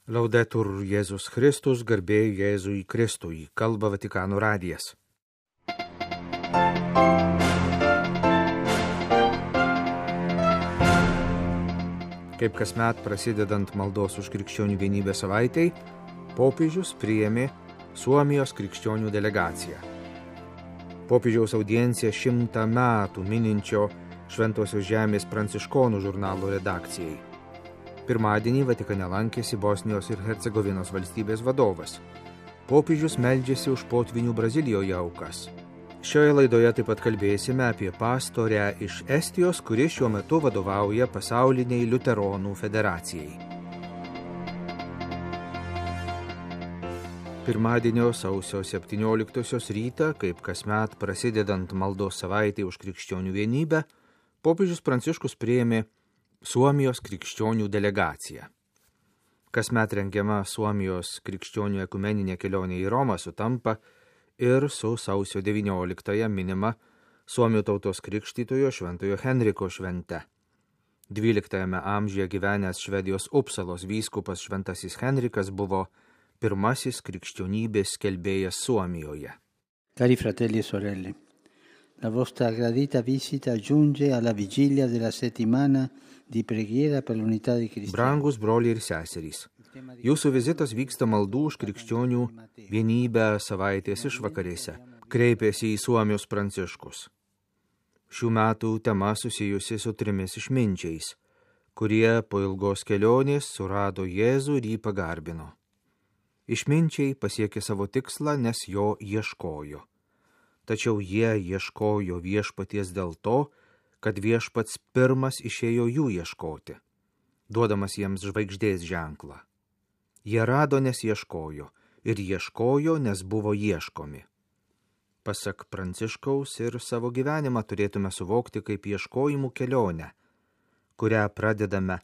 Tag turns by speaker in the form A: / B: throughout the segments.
A: Laudetur Jėzus Kristus, garbė Jėzui Kristui, kalba Vatikano radijas. Kaip kasmet prasidedant maldos už krikščionių vienybę savaitei, popiežius priėmė Suomijos krikščionių delegaciją. Popiežiaus audiencija 100 metų mininčio Šventosios žemės pranciškonų žurnalo redakcijai. Pirmadienį Vatikane lankėsi Bosnijos ir Hercegovinos valstybės vadovas. Popiežius meldžiasi už potvinių Brazilijoje aukas. Šioje laidoje taip pat kalbėsime apie pastorę iš Estijos, kuri šiuo metu vadovauja pasauliniai liuteronų federacijai. Pirmadienio sausio 17 rytą, kaip kasmet prasidedant maldos savaitei už krikščionių vienybę, popiežius Pranciškus priėmė Suomijos krikščionių delegacija. Kasmet rengiama Suomijos krikščionių ekumeninė kelionė į Romą sutampa ir su sausio 19 minima Suomių tautos krikštytojo Šventojo Henriko švente. 12 amžiuje gyvenęs Švedijos Upsalos vyskupas Šventasis Henrikas buvo pirmasis krikščionybės skelbėjas Suomijoje.
B: Cari fratelli e sorelle, la vostra gradita visita giunge alla vigilia della settimana di preghiera per l'unità dei cristiani.
A: Brangus broliai ir seserys, jūsų vizitas vyksta maldų už krikščionių vienybę savaitės išvakarėse, kreipėsi į Suomijos Pranciškus. Šių metų tema susijusi su 3 išminčiais, kurie po ilgos kelionės surado Jėzų ir jį pagarbino. Išminčiai pasiekė savo tikslą, nes jo ieškojo. Tačiau jie ieškojo viešpaties dėl to, kad viešpats pirmas išėjo jų ieškoti, duodamas jiems žvaigždės ženklą. Jie rado, nes ieškojo, ir ieškojo, nes buvo ieškomi. Pasak Pranciškaus ir savo gyvenimą turėtume suvokti kaip ieškojimų kelionę, kurią pradedame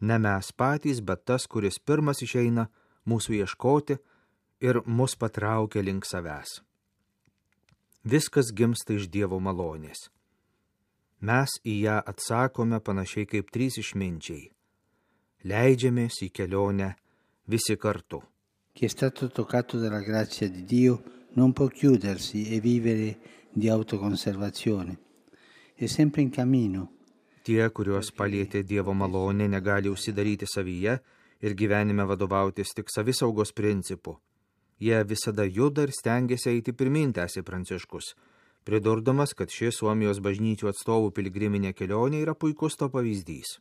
A: ne mes patys, bet tas, kuris pirmas išeina mūsų ieškoti ir mus patraukia link savęs. Viskas gimsta iš Dievo malonės. Mes į ją atsakome panašiai kaip 3 išminčiai. Leidžiamės į kelionę visi kartu.
B: Chi è stato toccato dalla grazia di Dio non può chiudersi e vivere di autoconservazione. È sempre in cammino.
A: Tie, kuriuos palietė Dievo malonė, negali užsidaryti savyje ir gyvenime vadovautis tik savisaugos principu. Jie visada juda ir stengiasi eiti pirmyn, tęsė Pranciškus, pridurdamas, kad ši Suomijos bažnyčių atstovų piligriminė kelionė yra puikus to pavyzdys.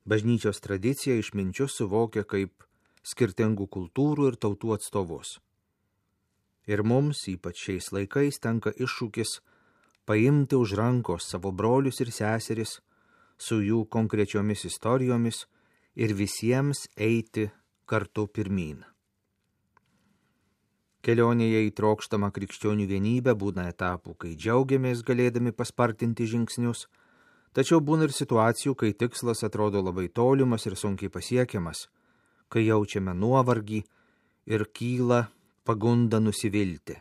A: Bažnyčios tradicija išminčius suvokia kaip skirtingų kultūrų ir tautų atstovus. Ir mums, ypač šiais laikais, tenka iššūkis paimti už rankos savo brolius ir seseris su jų konkrečiomis istorijomis ir visiems eiti kartu pirmyn. Kelionėje į trokštamą krikščionių vienybę būna etapų, kai džiaugiamės galėdami paspartinti žingsnius, tačiau būna ir situacijų, kai tikslas atrodo labai tolimas ir sunkiai pasiekiamas, kai jaučiame nuovargį ir kyla pagunda nusivilti.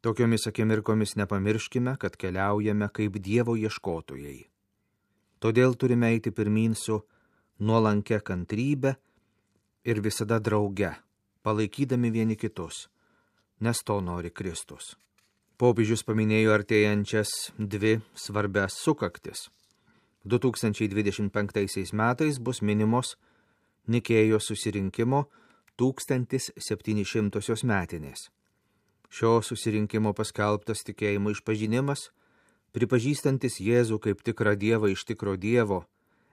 A: Tokiomis akimirkomis nepamirškime, kad keliaujame kaip Dievo ieškotojai. Todėl turime eiti pirmyn su nuolankia kantrybe ir visada drauge, palaikydami vieni kitus, nes to nori Kristus. Popiežius paminėjo artėjančias 2 svarbias sukaktis. 2025 metais bus minimos Nikėjos susirinkimo 1700 metinės. Šio susirinkimo paskelbtas tikėjimo išpažinimas, pripažįstantis Jėzų kaip tikrą Dievą iš tikro Dievo,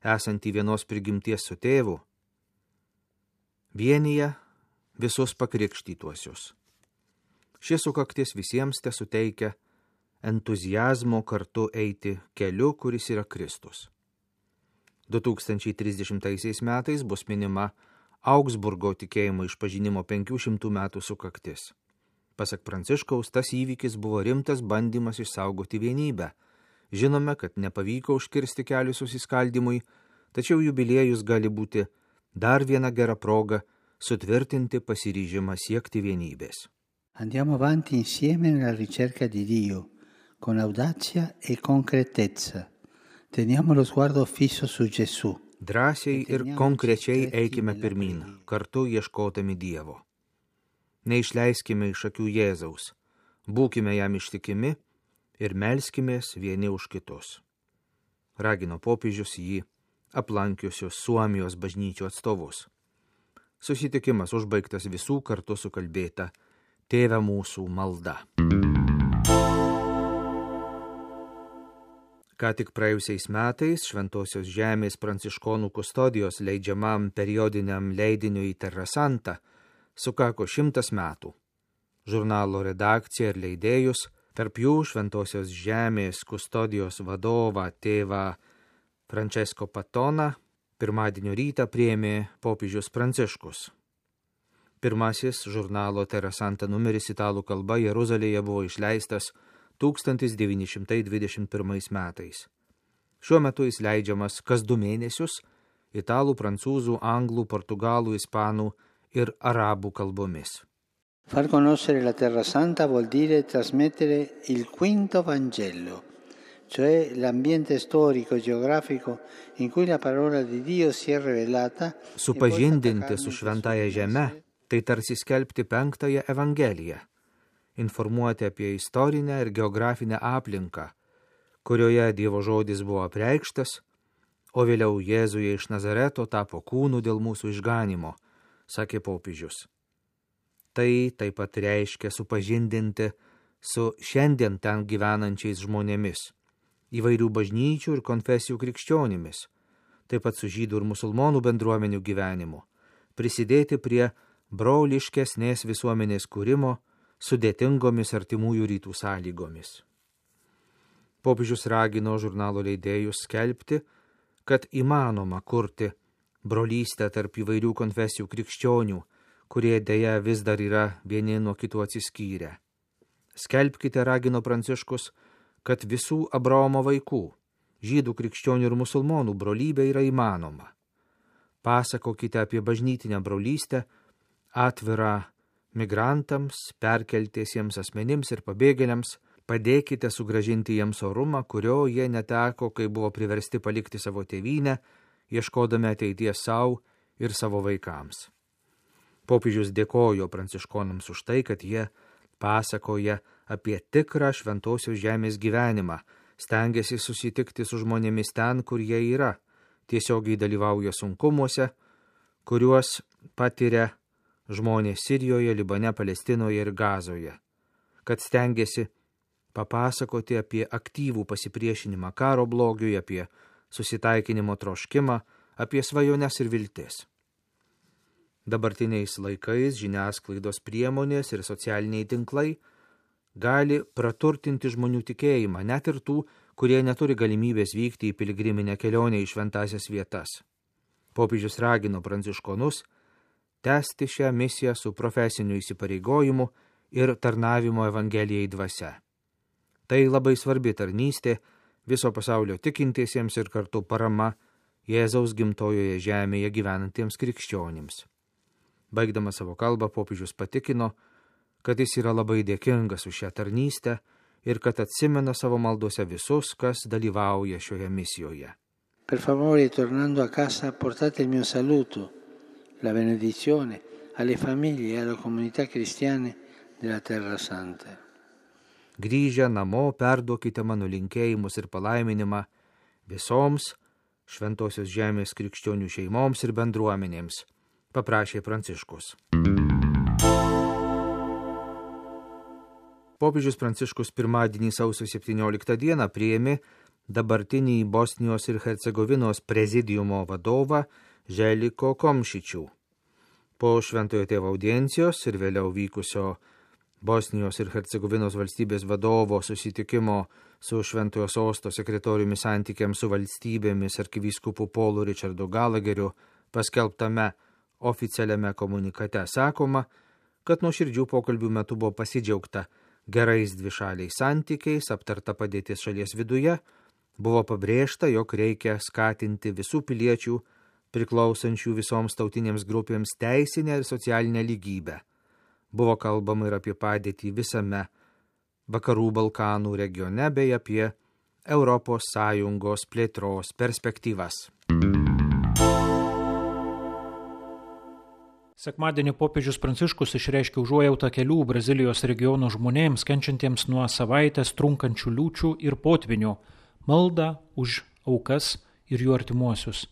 A: esantį vienos prigimties su tėvu, vienyje visus pakrikštytuosius. Šis sukaktis visiems te suteikia entuziazmo kartu eiti keliu, kuris yra Kristus. 2030 metais bus minima Augsburgo tikėjimo išpažinimo 500 metų sukaktis. Pasak Pranciškaus, tas įvykis buvo rimtas bandymas išsaugoti vienybę. Žinome, kad nepavyko užkirsti kelių susiskaldimui, tačiau jubiliejus gali būti dar viena gera proga sutvirtinti pasiryžimą siekti vienybės.
B: Andiamo avanti insieme nella ricerca di Dio, con audacia e concretezza. Teniamo lo sguardo fisso su Gesù,
A: Drąsiai ir konkrečiai eikime pirmyn, kartu ieškodami Dievo. Neišleiskime iš akių Jėzaus, būkime jam ištikimi ir melskimės vieni už kitus. Ragino popiežius jį aplankiusius Suomijos bažnyčių atstovus. Susitikimas užbaigtas visų kartu sukalbėta Tėve mūsų malda. Ką tik praėjusiais metais Šventosios Žemės pranciškonų kustodijos leidžiamam periodiniam leidiniui Terra Santa sukako 100 metų. Žurnalo redakcija ir leidėjus, tarp jų Šventosios Žemės kustodijos vadovą tėvą Francesco Patoną, pirmadienio rytą priėmė popiežius Pranciškus. Pirmasis žurnalo Terra Santa numeris italų kalba Jeruzalėje buvo išleistas 1921 metais. Šiuo metu jis leidžiamas kas 2 mėnesius italų, prancūzų, anglų, portugalų, ispanų ir arabų kalbomis.
B: Far conoscere la Terra Santa vuol dire trasmettere il quinto Vangelo, cioè l'ambiente storico e geografico in cui la parola di Dio si è rivelata.
A: Supažindinti su šventaja žeme, tai tarsi skelbti 5-ąją Evangeliją. Informuoti apie istorinę ir geografinę aplinką, kurioje Dievo žodis buvo apreikštas, o vėliau Jėzuje iš Nazareto tapo kūnu dėl mūsų išganimo, sakė popiežius. Tai taip pat reiškia supažindinti su šiandien ten gyvenančiais žmonėmis, įvairių bažnyčių ir konfesijų krikščionimis, taip pat su žydų ir musulmonų bendruomenių gyvenimu, prisidėti prie broliškesnės visuomenės kūrimo sudėtingomis artimųjų rytų sąlygomis. Popiežius ragino žurnalo leidėjus skelbti, kad įmanoma kurti brolystę tarp įvairių konfesijų krikščionių, kurie deja vis dar yra vieni nuo kitų atsiskyrę. Skelbkite, ragino Pranciškus, kad visų Abraomo vaikų, žydų, krikščionių ir musulmonų brolybė yra įmanoma. Pasakokite apie bažnytinę brolystę, atvirą migrantams, perkeltiesiems asmenims ir pabėgėliams, padėkite sugrąžinti jiems orumą, kurio jie neteko, kai buvo priversti palikti savo tėvynę, ieškodami ateities savo ir savo vaikams. Popiežius dėkojo pranciškonams už tai, kad jie pasakoja apie tikrą Šventosios Žemės gyvenimą, stengiasi susitikti su žmonėmis ten, kur jie yra, tiesiogiai dalyvauja sunkumuose, kuriuos patiria žmonės Sirijoje, Libane, Palestinoje ir Gazoje, kad stengiasi papasakoti apie aktyvų pasipriešinimą karo blogiui, apie susitaikinimo troškimą, apie svajones ir viltis. Dabartiniais laikais žiniasklaidos priemonės ir socialiniai tinklai gali praturtinti žmonių tikėjimą, net ir tų, kurie neturi galimybės vykti į piligriminę kelionę į šventąsias vietas. Popiežius ragino pranciškonus tęsti šią misiją su profesiniu įsipareigojimu ir tarnavimo Evangelijai dvasia. Tai labai svarbi tarnystė viso pasaulio tikintiesiems ir kartu parama Jėzaus gimtojoje žemėje gyvenantiems krikščionims. Baigdamas savo kalbą, popiežius patikino, kad jis yra labai dėkingas už šią tarnystę ir kad atsimena savo maldose visus, kas dalyvauja šioje misijoje.
B: Per favore, tornando a casa, portate il mio saluto, la benedizione alle famiglie e alle comunità cristiane della Terra Santa.
A: Grįžę namo, perduokite mano linkėjimus ir palaiminimą visoms Šventosios Žemės krikščionių šeimoms ir bendruomenėms, paprašė Pranciškus. Popiežius Pranciškus pirmadienį sausio 17 dieną priėmė dabartinį Bosnijos ir Hercegovinos prezidiumo vadovą Željko Komšičių. Po Šventojo Tėvo audiencijos ir vėliau vykusio Bosnijos ir Hercegovinos valstybės vadovo susitikimo su Šventojo Sosto sekretoriumi santykiams su valstybėmis arkivyskupu Polu Richardu Galageriu paskelbtame oficialiame komunikate sakoma, kad nuoširdžių pokalbių metu buvo pasidžiaugta gerais dvišaliais santykiais, aptarta padėtis šalies viduje, buvo pabrėžta, jog reikia skatinti visų piliečių priklausančių visoms tautinėms grupėms teisinę ir socialinę lygybę. Buvo kalbama ir apie padėtį visame Vakarų Balkanų regione bei apie Europos Sąjungos plėtros perspektyvas.
C: Sekmadienį popiežius Pranciškus išreiškė užuojautą kelių Brazilijos regionų žmonėms, kenčiantiems nuo savaitės trunkančių liūčių ir potvinių, maldą už aukas ir jų artimuosius,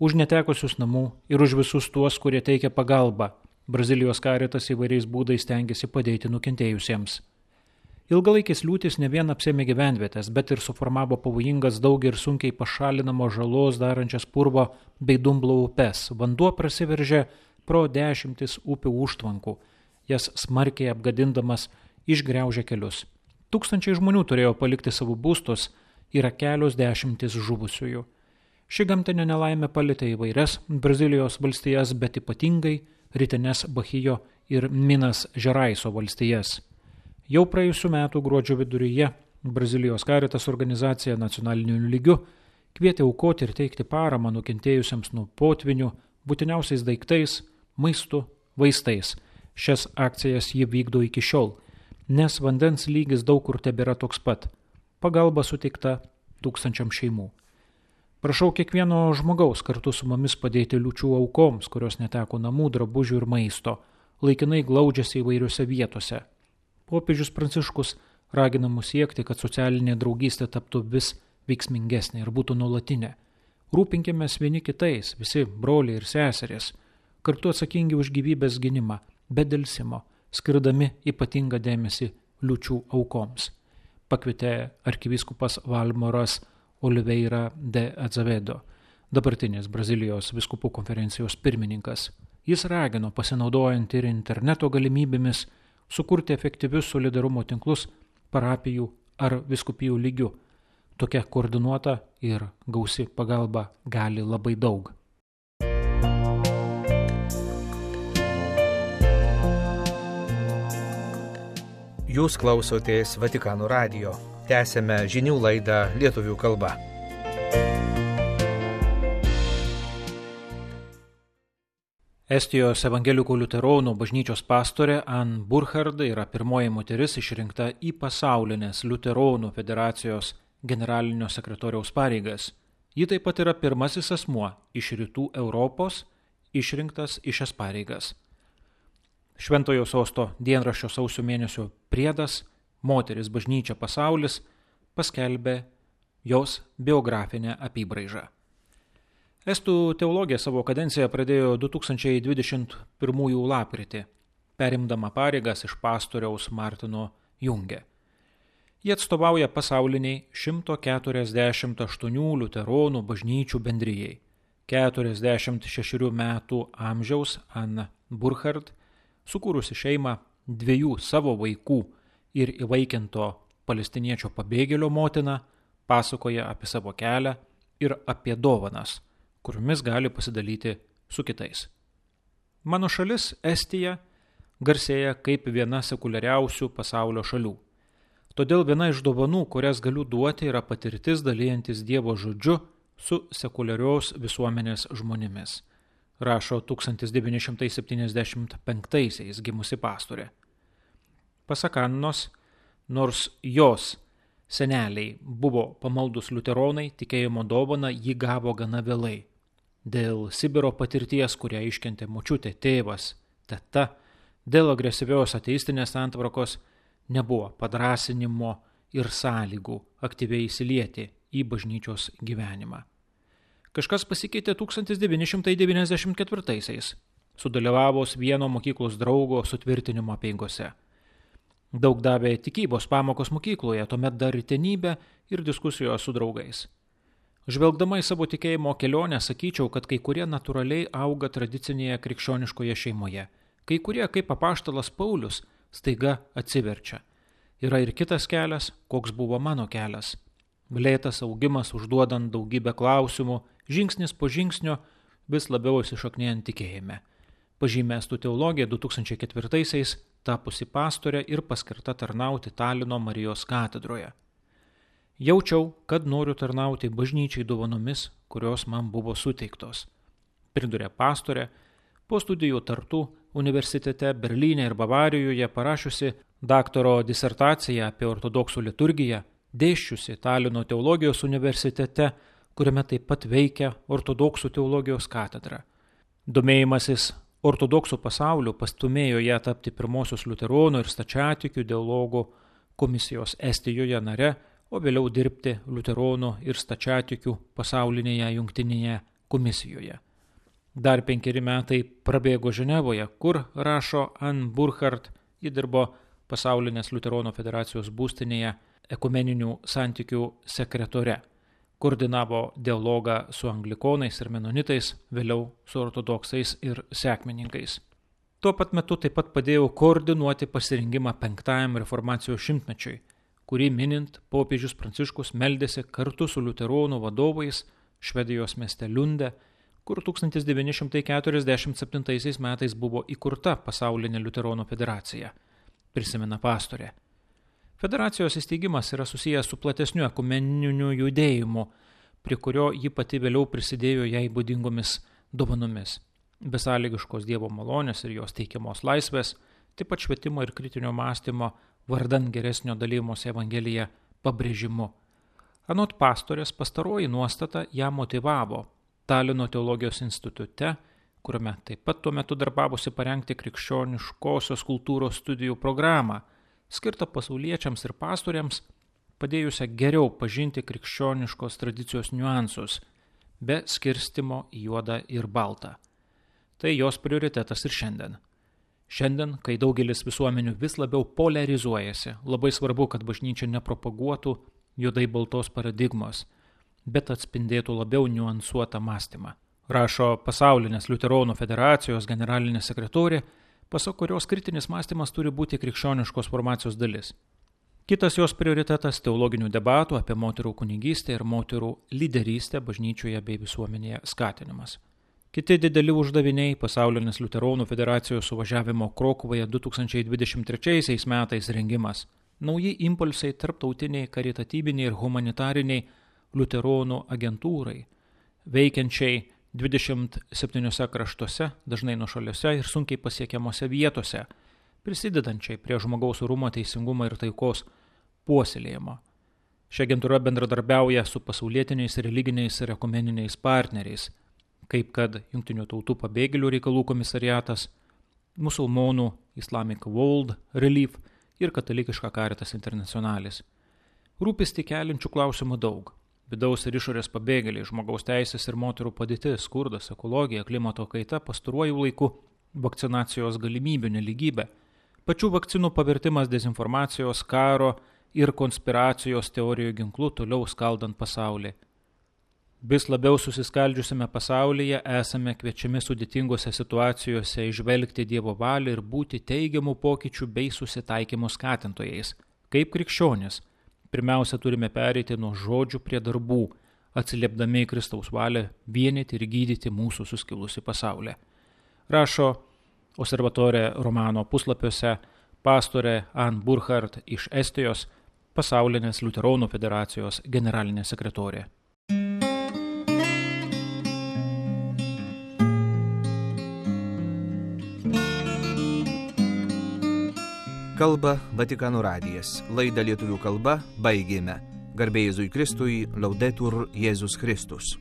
C: už netekusius namų ir už visus tuos, kurie teikia pagalbą. Brazilijos Caritas įvairiais būdais stengiasi padėti nukentėjusiems. Ilgalaikis liūtis ne vien apsėmė gyvenvietės, bet ir suformavo pavojingas daug ir sunkiai pašalinamo žalos darančias purvo bei dumblo upes. Vanduo prasiveržė pro 10 upių užtvankų, jas smarkiai apgadindamas išgriaužė kelius. Tūkstančiai žmonių turėjo palikti savo būstus, yra kelios dešimtys žuvusiųjų. Ši gamtinė nelaimė palietė įvairias Brazilijos valstijas, bet ypatingai rytines Bahijo ir Minas Žeraiso valstijas. Jau praėjusių metų gruodžio viduryje Brazilijos Caritas organizacija nacionaliniu lygiu kvietė aukoti ir teikti paramą nukentėjusiems nuo potvinių, būtiniausiais daiktais, maistu, vaistais. Šias akcijas ji vykdo iki šiol, nes vandens lygis daug kur tebėra toks pat. Pagalba suteikta 1000 šeimų. Prašau kiekvieno žmogaus kartu su mumis padėti liūčių aukoms, kurios neteko namų, drabužių ir maisto, laikinai glaudžiasi įvairiose vietose. Popiežius Pranciškus ragina mus siekti, kad socialinė draugystė taptų vis veiksmingesnė ir būtų nuolatinė. Rūpinkimės vieni kitais, visi broliai ir seserės, kartu atsakingi už gyvybės gynimą, be delsimo, skirdami ypatingą dėmesį liūčių aukoms, pakvietė arkivyskupas Valmoras Oliveira de Azevedo, dabartinis Brazilijos vyskupų konferencijos pirmininkas. Jis ragino, pasinaudojant ir interneto galimybėmis, sukurti efektyvius solidarumo tinklus parapijų ar vyskupijų lygių. Tokia koordinuota ir gausi pagalba gali labai daug.
A: Jūs klausotės Vatikano radijo. Tęsėme žinių laidą lietuvių kalba.
C: Estijos evangelikų liuteronų bažnyčios pastorė Ann Burchard yra pirmoji moteris išrinkta į pasaulinės liuteronų federacijos generalinio sekretoriaus pareigas. Ji taip pat yra pirmasis asmuo iš rytų Europos išrinktas į šias pareigas. Šventojo sosto dienraščio sausio mėnesio priedas Moteris bažnyčia pasaulis paskelbė jos biografinę apybraižą. Estų teologija savo kadenciją pradėjo 2021 lapkritį, perimdama pareigas iš pastoriaus Martino Junge. Jie atstovauja pasauliniai 148 liuteronų bažnyčių bendrijai. 46 metų amžiaus Ann Burchard, sukūrusi šeimą 2 savo vaikų ir įvaikinto palestiniečio pabėgėlio motina, pasakoja apie savo kelią ir apie dovanas, kuriomis gali pasidalyti su kitais. Mano šalis, Estija, garsėja kaip viena sekuliariausių pasaulio šalių. Todėl viena iš dovanų, kurias galiu duoti, yra patirtis dalyjantis Dievo žodžiu su sekuliarios visuomenės žmonėmis, rašo 1975 gimusi pastorė. Pasak Annos, nors jos seneliai buvo pamaldus liuteronai, tikėjimo dovaną ji gavo gana vėlai. Dėl Sibiro patirties, kurią iškentė močiutė, tėvas, teta, dėl agresyvios ateistinės santvarkos nebuvo padrąsinimo ir sąlygų aktyviai įsilieti į bažnyčios gyvenimą. Kažkas pasikeitė 1994-aisiais, sudalyvavus vieno mokyklos draugo sutvirtinimo apeigose. Daug davė tikybos pamokos mokykloje, tuomet dar rytenybė ir diskusijos su draugais. Žvelgdama į savo tikėjimo kelionę, sakyčiau, kad kai kurie natūraliai auga tradicinėje krikščioniškoje šeimoje, kai kurie, kaip apaštalas Paulius, staiga atsiverčia. Yra ir kitas kelias, koks buvo mano kelias. Lėtas augimas užduodant daugybę klausimų, žingsnis po žingsnio vis labiau įsišaknėjant tikėjime. Pažymė Estų teologija 2004-aisiais tapusi pastorė ir paskirta tarnauti Talino Marijos katedroje. Jaučiau, kad noriu tarnauti bažnyčiai dovanomis, kurios man buvo suteiktos. Pridurė pastorė, po studijų Tartu universitete Berlyne ir Bavarijoje parašiusi daktaro disertaciją apie ortodoksų liturgiją, dėsčiusi Talino teologijos universitete, kuriame taip pat veikia ortodoksų teologijos katedra. Domėjimasis ortodoksų pasauliu pastumėjo ją tapti pirmosios liuteronų ir stačiatikių dialogų komisijos Estijoje nare, o vėliau dirbti liuteronų ir stačiatikių pasaulinėje jungtinėje komisijoje. Dar 5 metai prabėgo Ženevoje, kur, rašo Ann Burkhardt, ji dirbo pasaulinės liuteronų federacijos būstinėje ekumeninių santykių sekretore, koordinavo dialogą su anglikonais ir menonitais, vėliau su ortodoksais ir sekmininkais. Tuo pat metu taip pat padėjo koordinuoti pasirengimą 5 reformacijos šimtmečiui, kurį minint popiežius Pranciškus meldėsi kartu su liuteronų vadovais Švedijos mieste Liunde, kur 1947 metais buvo įkurta pasaulinė liuteronų federacija, prisimena pastorė. Federacijos įsteigimas yra susijęs su platesniu ekumeniniu judėjimu, prie kurio ji pati vėliau prisidėjo jai būdingomis dovanomis. Besąlygiškos Dievo malonės ir jos teikiamos laisvės, taip pat švietimo ir kritinio mąstymo vardan geresnio dalymosi Evangelija pabrėžimu. Anot pastorės, pastaroji nuostata ją motyvavo Talino teologijos institute, kuriame taip pat tuo metu darbavosi parengti krikščioniškosios kultūros studijų programą, skirtą pasauliečiams ir pastoriams, padėjusią geriau pažinti krikščioniškos tradicijos niuansus, be skirstimo į juodą ir baltą. Tai jos prioritetas ir šiandien. Šiandien, kai daugelis visuomenių vis labiau polarizuojasi, labai svarbu, kad bažnyčia nepropaguotų juodai baltos paradigmos, bet atspindėtų labiau niuansuotą mąstymą. Rašo pasaulinės liuteronų federacijos generalinė sekretorė, pasak kurios kritinis mąstymas turi būti krikščioniškos formacijos dalis. Kitas jos prioritetas – teologinių debatų apie moterų kunigystę ir moterų lyderystę bažnyčioje bei visuomenėje skatinimas. Kiti dideli uždaviniai – pasaulinės liuteronų federacijos suvažiavimo Krokuvoje 2023 metais rengimas, nauji impulsai tarptautiniai, karitatyviniai ir humanitariniai liuteronų agentūrai, veikiančiai 27 kraštuose, dažnai nuošaliuose ir sunkiai pasiekiamose vietose, prisidedančiai prie žmogaus orumo, teisingumo ir taikos puoselėjimo. Ši agentūra bendradarbiauja su pasaulietiniais religiniais ir ekumeniniais partneriais, kaip kad Jungtinių tautų pabėgėlių reikalų komisariatas, musulmonų Islamic World Relief ir katalikiška Caritas Internationalis. Rūpestį keliančių klausimų daug. Vidaus ir išorės pabėgėliai, žmogaus teisės ir moterų padėtis, skurdas, ekologija, klimato kaita, pastaruoju laiku vakcinacijos galimybių nelygybė, pačių vakcinų pavirtimas dezinformacijos, karo ir konspiracijos teorijų ginklų toliau skaldant pasaulį. Vis labiau susiskaldžiusiame pasaulyje esame kviečiami sudėtingose situacijose įžvelgti Dievo valią ir būti teigiamų pokyčių bei susitaikymo skatintojais. Kaip krikščionis, pirmiausia turime pereiti nuo žodžių prie darbų, atsiliepdami į Kristaus valią vienyti ir gydyti mūsų suskilusi pasaulį. Rašo Osservatore Romano puslapiuose pastorė Ann Burkhardt iš Estijos, pasaulinės liuteronų federacijos generalinė sekretorė.
A: Kalba Vatikano radijas. Laidą lietuvių kalba baigėme. Garbė Jėzui Kristui, Laudetur Jėzus Kristus.